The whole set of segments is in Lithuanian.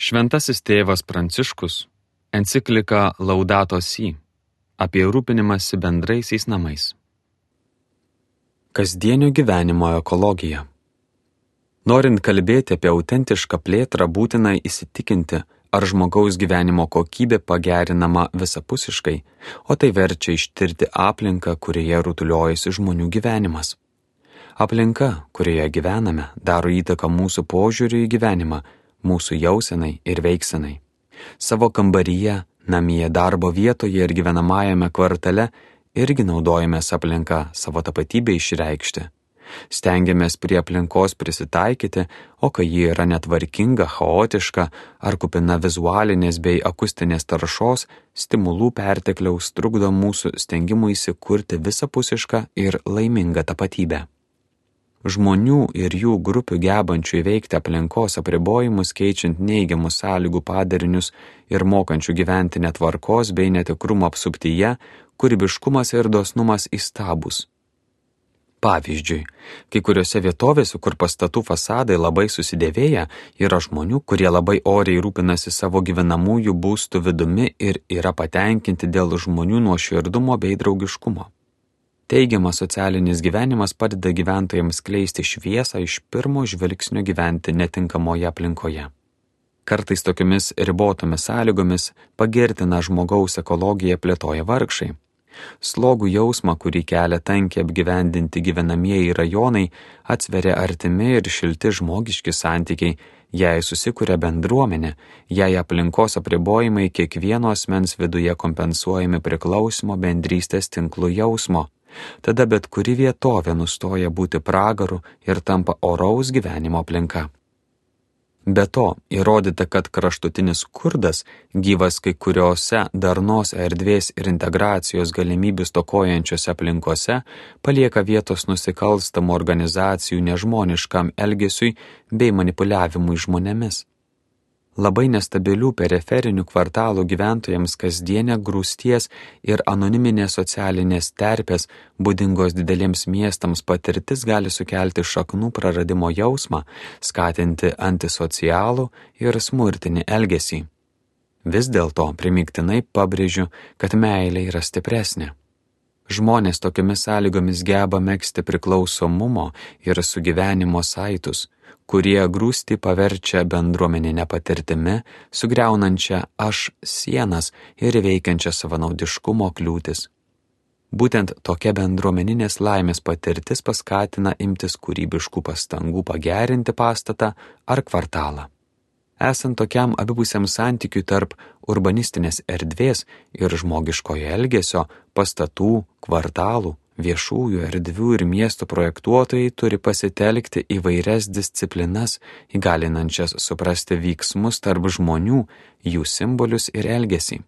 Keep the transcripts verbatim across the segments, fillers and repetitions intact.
Šventasis tėvas Pranciškus enciklika Laudato Si apie rūpinimąsi bendraisiais namais. Kasdienio gyvenimo ekologija. Norint kalbėti apie autentišką plėtrą, būtina įsitikinti, ar žmogaus gyvenimo kokybė pagerinama visapusiškai, o tai verčia ištirti aplinką, kurioje rutuliojasi žmonių gyvenimas. Aplinka, kurioje gyvename, daro įtaką mūsų požiūriui į gyvenimą, mūsų jausenai ir veiksenai. Savo kambaryje, namie, darbo vietoje ir gyvenamajame kvartale irgi naudojamės aplinką savo tapatybę išreikšti. Stengiamės prie aplinkos prisitaikyti, o kai ji yra netvarkinga, chaotiška ar kupina vizualinės bei akustinės taršos, stimulų pertekliaus trukdo mūsų stengimuisi kurti visapusišką ir laimingą tapatybę. Žmonių ir jų grupių gebančių įveikti aplinkos apribojimus, keičiant neigiamų sąlygų padarinius ir mokančių gyventi netvarkos bei netikrumo apsuptyje, kūrybiškumas ir dosnumas įstabūs. Pavyzdžiui, kai kuriuose vietovėse, kur pastatų fasadai labai susidėvėję, yra žmonių, kurie labai oriai rūpinasi savo gyvenamųjų būstų vidumi ir yra patenkinti dėl žmonių nuoširdumo bei draugiškumo. Teigiamas socialinis gyvenimas padeda gyventojams skleisti šviesą iš pirmo žvilgsnio gyventi netinkamoje aplinkoje. Kartais tokiomis ribotomis sąlygomis pagirtina žmogaus ekologiją plėtoja vargšai. Slogų jausmą, kurį kelia tankiai apgyvendinti gyvenamieji rajonai, atsveria artimi ir šilti žmogiški santykiai, jei susikuria bendruomenė, jei aplinkos apribojimai kiekvieno asmens viduje kompensuojami priklausimo bendrystės tinklų jausmo. Tada bet kuri vietovė nustoja būti pragaru ir tampa oraus gyvenimo aplinka. Be to, įrodyta, kad kraštutinis skurdas, gyvas kai kuriuose darnos erdvės ir integracijos galimybių stokojančiose aplinkose, palieka vietos nusikalstamų organizacijų nežmoniškam elgesiui bei manipuliavimui žmonėmis. Labai nestabilių periferinių kvartalų gyventojams kasdienė grūsties ir anoniminės socialinės terpės, būdingos dideliems miestams patirtis gali sukelti šaknų praradimo jausmą, skatinti antisocialų ir smurtinį elgesį. Vis dėlto primygtinai pabrėžiu, kad meilė yra stipresnė. Žmonės tokiomis sąlygomis geba megzti priklausomumo ir sugyvenimo saitus, kurie grūstį paverčia bendruomeninę patirtimi, sugriaunančią aš sienas ir veikiančią savanaudiškumo kliūtis. Būtent tokia bendruomeninės laimės patirtis paskatina imtis kūrybiškų pastangų pagerinti pastatą ar kvartalą. Esant tokiam abipusiam santykiui tarp urbanistinės erdvės ir žmogiškojo elgesio, pastatų, kvartalų, viešųjų erdvių ir miestų projektuotojai turi pasitelkti įvairias disciplinas, įgalinančias suprasti vyksmus tarp žmonių, jų simbolius ir elgesį.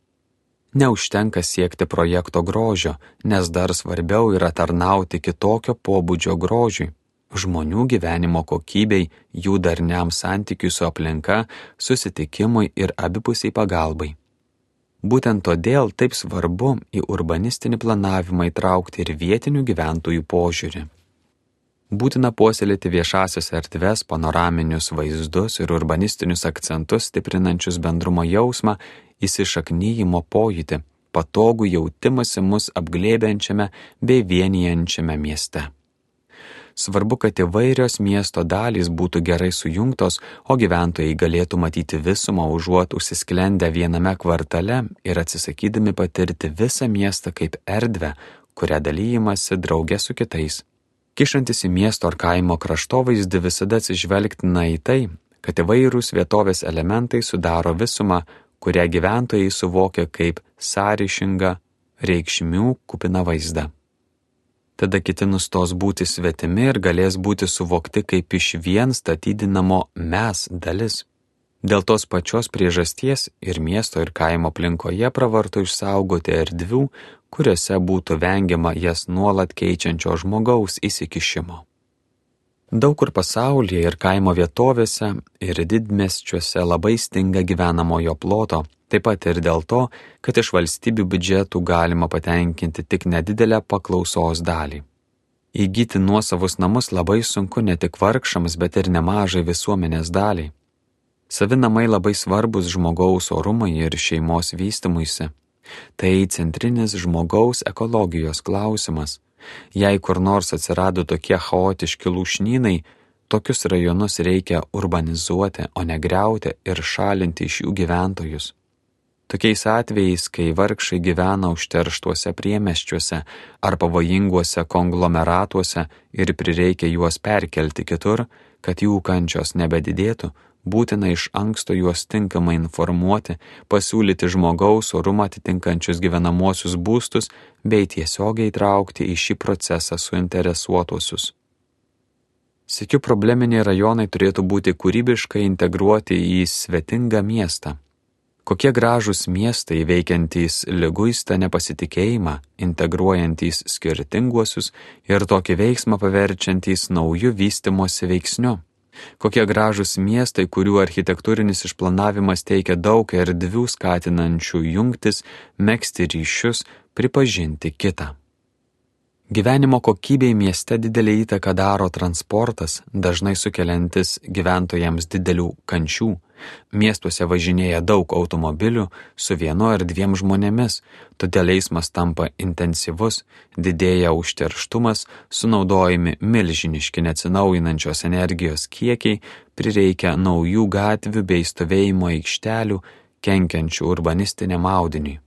Neužtenka siekti projekto grožio, nes dar svarbiau yra tarnauti kitokio pobūdžio grožiui, žmonių gyvenimo kokybei, jų darniam santykiui su aplinka, susitikimui ir abipusiai pagalbai. Būtent todėl taip svarbu į urbanistinį planavimą įtraukti ir vietinių gyventojų požiūrį. Būtina puoselėti viešasias erdves, panoraminius vaizdus ir urbanistinius akcentus stiprinančius bendrumo jausmą, įsišaknyjimo pojūtį, patogų jautimąsi mus apglėbiančiame bei vienijančiame mieste. Svarbu, kad įvairios miesto dalys būtų gerai sujungtos, o gyventojai galėtų matyti visumą užuot užsisklendę viename kvartale ir atsisakydami patirti visą miestą kaip erdvę, kurią dalyjimasi drauge su kitais. Kišantis į miesto ar kaimo kraštovaizdį visada atsižvelgtina į tai, kad įvairūs vietovės elementai sudaro visumą, kurią gyventojai suvokia kaip sąryšingą, reikšmių kupiną vaizdą. Tada kiti nustos būti svetimi ir galės būti suvokti kaip iš vien statydinamo mes dalis. Dėl tos pačios priežasties ir miesto ir kaimo aplinkoje pravartu išsaugoti erdvių, kuriuose būtų vengiama jas nuolat keičiančio žmogaus įsikišimo. Daug kur pasaulyje ir kaimo vietovėse ir didmiesčiuose labai stinga gyvenamojo ploto, taip pat ir dėl to, kad iš valstybių biudžetų galima patenkinti tik nedidelę paklausos dalį. Įgyti nuosavus namus labai sunku ne tik vargšams, bet ir nemažai visuomenės daliai. Savi namai labai svarbus žmogaus orumui ir šeimos vystymuisi. Tai centrinis žmogaus ekologijos klausimas. Jei kur nors atsirado tokie chaotiški lūšnynai, tokius rajonus reikia urbanizuoti, o ne griauti ir šalinti iš jų gyventojus. Tokiais atvejais, kai vargšai gyvena užterštuose priemiesčiuose ar pavojinguose konglomeratuose ir prireikia juos perkelti kitur, kad jų kančios nebedidėtų, būtina iš anksto juos tinkamai informuoti, pasiūlyti žmogaus orumą atitinkančius gyvenamuosius būstus bei tiesiogiai traukti į šį procesą suinteresuotuosius. Sykiu probleminiai rajonai turėtų būti kūrybiškai integruoti į svetingą miestą. Kokie gražūs miestai veikiantys liguistą nepasitikėjimą, integruojantys skirtinguosius ir tokį veiksmą paverčiantys naujų vystymosi veiksniu. Kokie gražūs miestai, kurių architektūrinis išplanavimas teikia daug erdvių skatinančių jungtis, megzti ryšius, pripažinti kitą. Gyvenimo kokybei mieste didelį įtaką daro transportas, dažnai sukeliantis gyventojams didelių kančių. Miestuose važinėja daug automobilių su vienu ar dviem žmonėmis, todėl eismas tampa intensyvus, didėja užterštumas, sunaudojami milžiniški neatsinaujinančios energijos kiekiai, prireikia naujų gatvių bei stovėjimo aikštelių, kenkiančių urbanistiniam audiniui.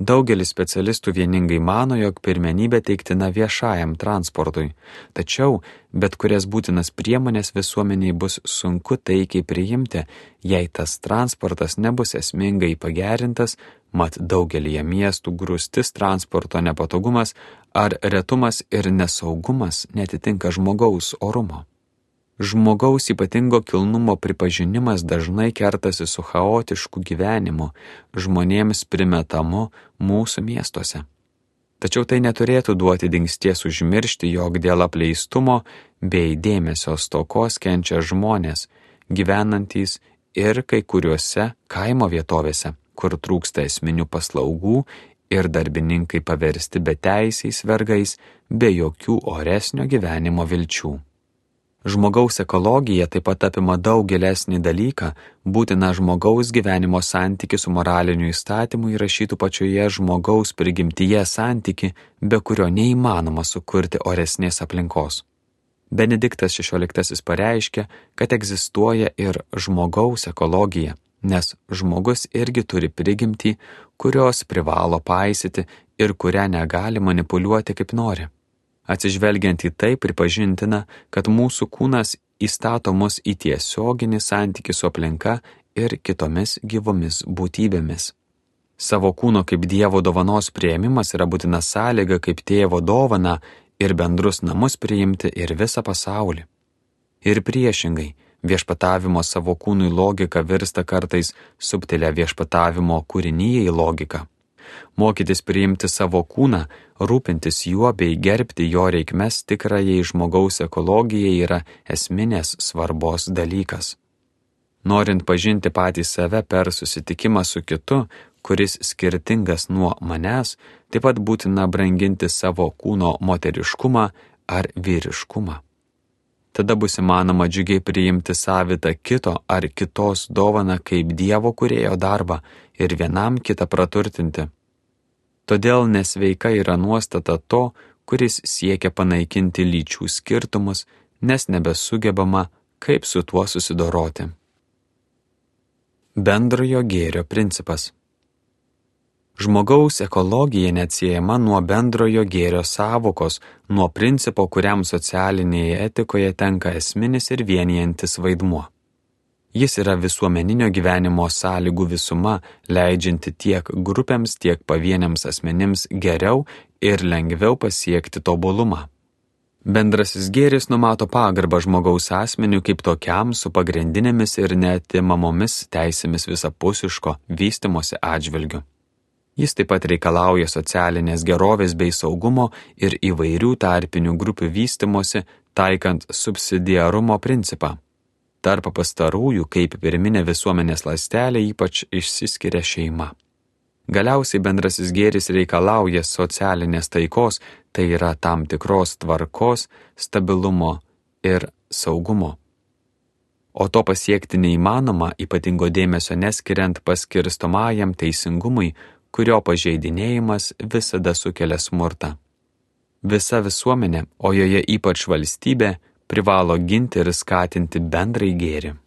Daugelis specialistų vieningai mano, jog pirmenybė teiktina viešajam transportui, tačiau bet kurias būtinas priemonės visuomeniai bus sunku taikiai priimti, jei tas transportas nebus esmingai pagerintas, mat daugelyje miestų grūstis transporto nepatogumas ar retumas ir nesaugumas netitinka žmogaus orumo. Žmogaus ypatingo kilnumo pripažinimas dažnai kertasi su chaotišku gyvenimu, žmonėms primetamu mūsų miestuose. Tačiau tai neturėtų duoti dingsties užmiršti, jog dėl apleistumo bei dėmesio stokos kenčia žmonės, gyvenantys ir kai kuriuose kaimo vietovėse, kur trūksta esminių paslaugų ir darbininkai paversti beteisiais vergais, be jokių oresnio gyvenimo vilčių. Žmogaus ekologija taip pat apima daug gilesnį dalyką, būtina žmogaus gyvenimo santyki su moraliniu įstatymu įrašytų pačioje žmogaus prigimtyje santyki, be kurio neįmanoma sukurti oresnės aplinkos. Benediktas šešioliktasis pareiškė, kad egzistuoja ir žmogaus ekologija, nes žmogus irgi turi prigimtį, kurios privalo paisyti ir kurią negali manipuliuoti kaip nori. Atsižvelgiant į tai pripažintina, kad mūsų kūnas įstato mus į tiesioginį santykį su aplinka ir kitomis gyvomis būtybėmis. Savo kūno kaip Dievo dovanos priėmimas yra būtina sąlyga kaip tėvo dovana ir bendrus namus priimti ir visą pasaulį. Ir priešingai, viešpatavimo savo kūnui logika virsta kartais subtilia viešpatavimo kūrinijai logika. Mokytis priimti savo kūną, rūpintis juo bei gerbti jo reikmes tikrajai žmogaus ekologijai yra esminės svarbos dalykas. Norint pažinti patį save per susitikimą su kitu, kuris skirtingas nuo manęs, taip pat būtina branginti savo kūno moteriškumą ar vyriškumą. Tada bus įmanoma džiugiai priimti savitą kito ar kitos dovaną kaip Dievo kūrėjo darbą ir vienam kitą praturtinti. Todėl nesveika yra nuostata to, kuris siekia panaikinti lyčių skirtumus, nes nebesugebama, kaip su tuo susidoroti. Bendrojo gėrio principas. Žmogaus ekologija neatsiejama nuo bendrojo gėrio sąvokos, nuo principo, kuriam socialinėje etikoje tenka esminis ir vienijantis vaidmuo. Jis yra visuomeninio gyvenimo sąlygų visuma, leidžianti tiek grupėms, tiek pavieniams asmenims geriau ir lengviau pasiekti tobulumą. Bendrasis gėris numato pagarbą žmogaus asmeniui kaip tokiam su pagrindinėmis ir neatimamomis teisėmis visapusiško vystymosi atžvilgiu. Jis taip pat reikalauja socialinės gerovės bei saugumo ir įvairių tarpinių grupių vystymosi, taikant subsidiarumo principą. Tarp pastarųjų, kaip pirminė visuomenės ląstelė, ypač išsiskiria šeima. Galiausiai bendrasis gėris reikalauja socialinės taikos, tai yra tam tikros tvarkos, stabilumo ir saugumo. o to pasiekti neįmanoma ypatingo dėmesio neskiriant paskirstomajam teisingumui, kurio pažeidinėjimas visada sukelia smurtą. Visa visuomenė, o joje ypač valstybė, privalo ginti ir skatinti bendrai gėrį.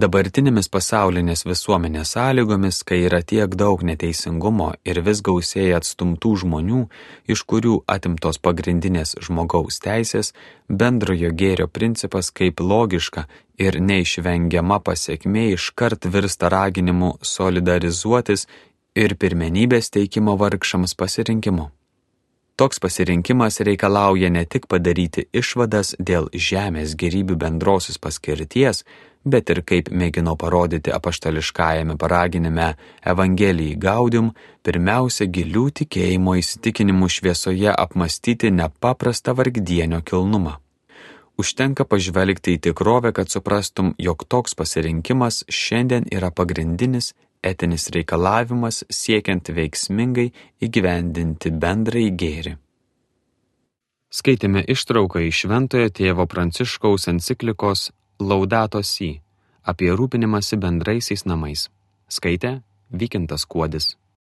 Dabartinėmis pasaulinės visuomenės sąlygomis, kai yra tiek daug neteisingumo ir vis gausėja atstumtų žmonių, iš kurių atimtos pagrindinės žmogaus teisės, bendrojo gėrio principas kaip logiška ir neišvengiama pasekmė iškart virsta raginimu solidarizuotis ir pirmenybės teikimo vargšams pasirinkimu. Toks pasirinkimas reikalauja ne tik padaryti išvadas dėl žemės gėrybių bendrosios paskirties, bet ir, kaip mėgino parodyti apaštališkajame paraginime Evangelijai Gaudium, pirmiausia gilių tikėjimo įsitikinimų šviesoje apmastyti nepaprastą vargdienio kilnumą. Užtenka pažvelgti į tikrovę, kad suprastum, jog toks pasirinkimas šiandien yra pagrindinis etinis reikalavimas siekiant veiksmingai įgyvendinti bendrąjį gėrį. Skaitėme ištrauką iš Šventojo tėvo Pranciškaus enciklikos Laudato Si apie rūpinimąsi bendraisiais namais. Skaitė Vykintas Kuodis.